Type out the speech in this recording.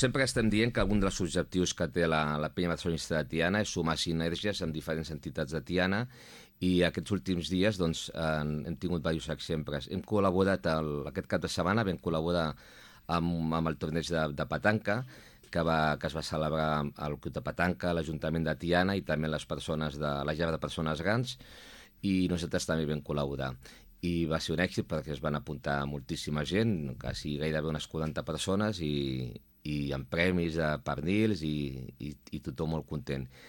Sempre estem dient que un dels objectius que té la penya barcelonista de Tiana és sumar sinergies amb diferents entitats de Tiana i aquests últims dies doncs, hem tingut diversos exemples. Hem col·laborat, aquest cap de setmana vam col·laborar amb el torneig de petanca que es va celebrar al Club de Petanca, l'Ajuntament de Tiana i també les persones de la llar de persones grans, i nosaltres també vam col·laborar. I va ser un èxit perquè es van apuntar moltíssima gent, quasi gairebé unes 40 persones, i amb premis de pernils i tothom molt content.